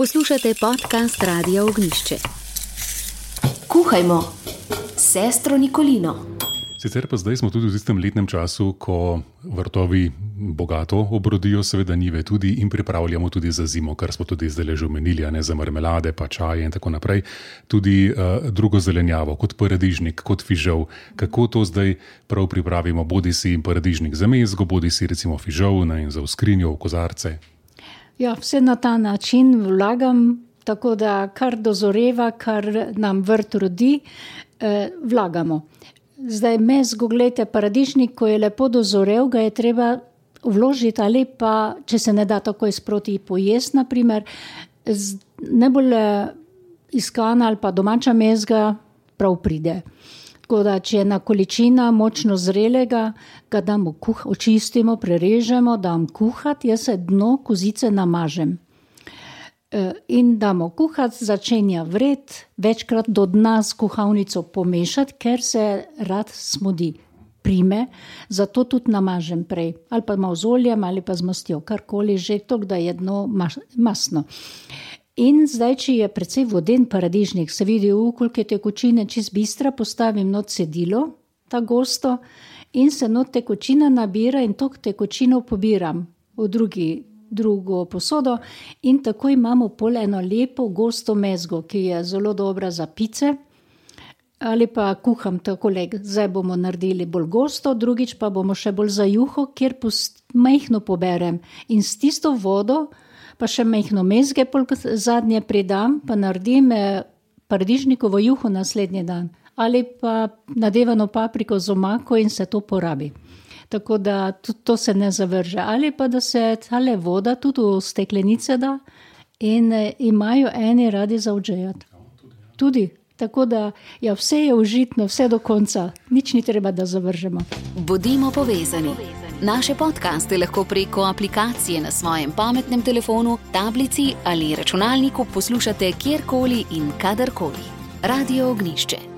Poslušate podcast Radia Ognjišče. Kuhajmo s sestro Nikolino. Sicer pa zdaj smo tudi v tistem letnem času, ko vrtovi bogato obrodijo, seveda njive tudi, in pripravljamo tudi za zimo, kar smo tudi zdaj že omenili, ne, za marmelade, pa čaje in tako naprej. Tudi drugo zelenjavo, kot paradižnik, kot fižol. Kako to zdaj prav pripravimo? Bodi si paradižnik za mezgo, bodi si recimo fižol in za v skrinjo, v kozarce. Ja, vse na ta način vlagam, tako da kar dozoreva, kar nam vrt rodi, vlagamo. Zdaj mezgo, gledajte, paradižnik, ko je lepo dozorev, ga je treba vložiti ali pa, če se ne da takoj sproti pojesti, naprimer, najbolj iskana ali pa domača mezga prav pride. Tako da, če je ena količina močno zrelega, ga damo očistimo, prerežemo, dam kuhati, jaz se dno kozice namažem. In damo kuhati, začenja vred, večkrat do dna s kuhalnico pomešati, ker se rad smodi, prime, zato tudi namažem prej, ali pa malo z oljem, ali pa z mastjo, karkoli že, tako da je dno masno. In zdaj, če je precej voden paradižnik, se vidi koliko je tekočine čist bistra, postavim not cedilo, ta gosto, in se not tekočina nabira in to tekočino pobiram v drugo posodo in tako imamo pol eno lepo gosto mezgo, ki je zelo dobra za pice, ali pa kuham takole, zdaj bomo naredili bolj gosto, drugič pa bomo še bolj za juho, kjer majhno poberem in s tisto vodo pa še majhno mezge zadnje pridam, pa naredim paradižnikovo juho naslednji dan. Ali pa nadevano papriko z omako in se to porabi. Tako da to se ne zavrže. Ali pa da se tale voda tudi v steklenice da in imajo eni radi zavdžejati. Tudi. Tako da ja, vse je užitno, vse do konca. Nič ni treba, da zavržemo. Bodimo povezani. Naše podcaste lahko preko aplikacije na svojem pametnem telefonu, tablici ali računalniku poslušate kjerkoli in kadarkoli. Radio Ognjišče.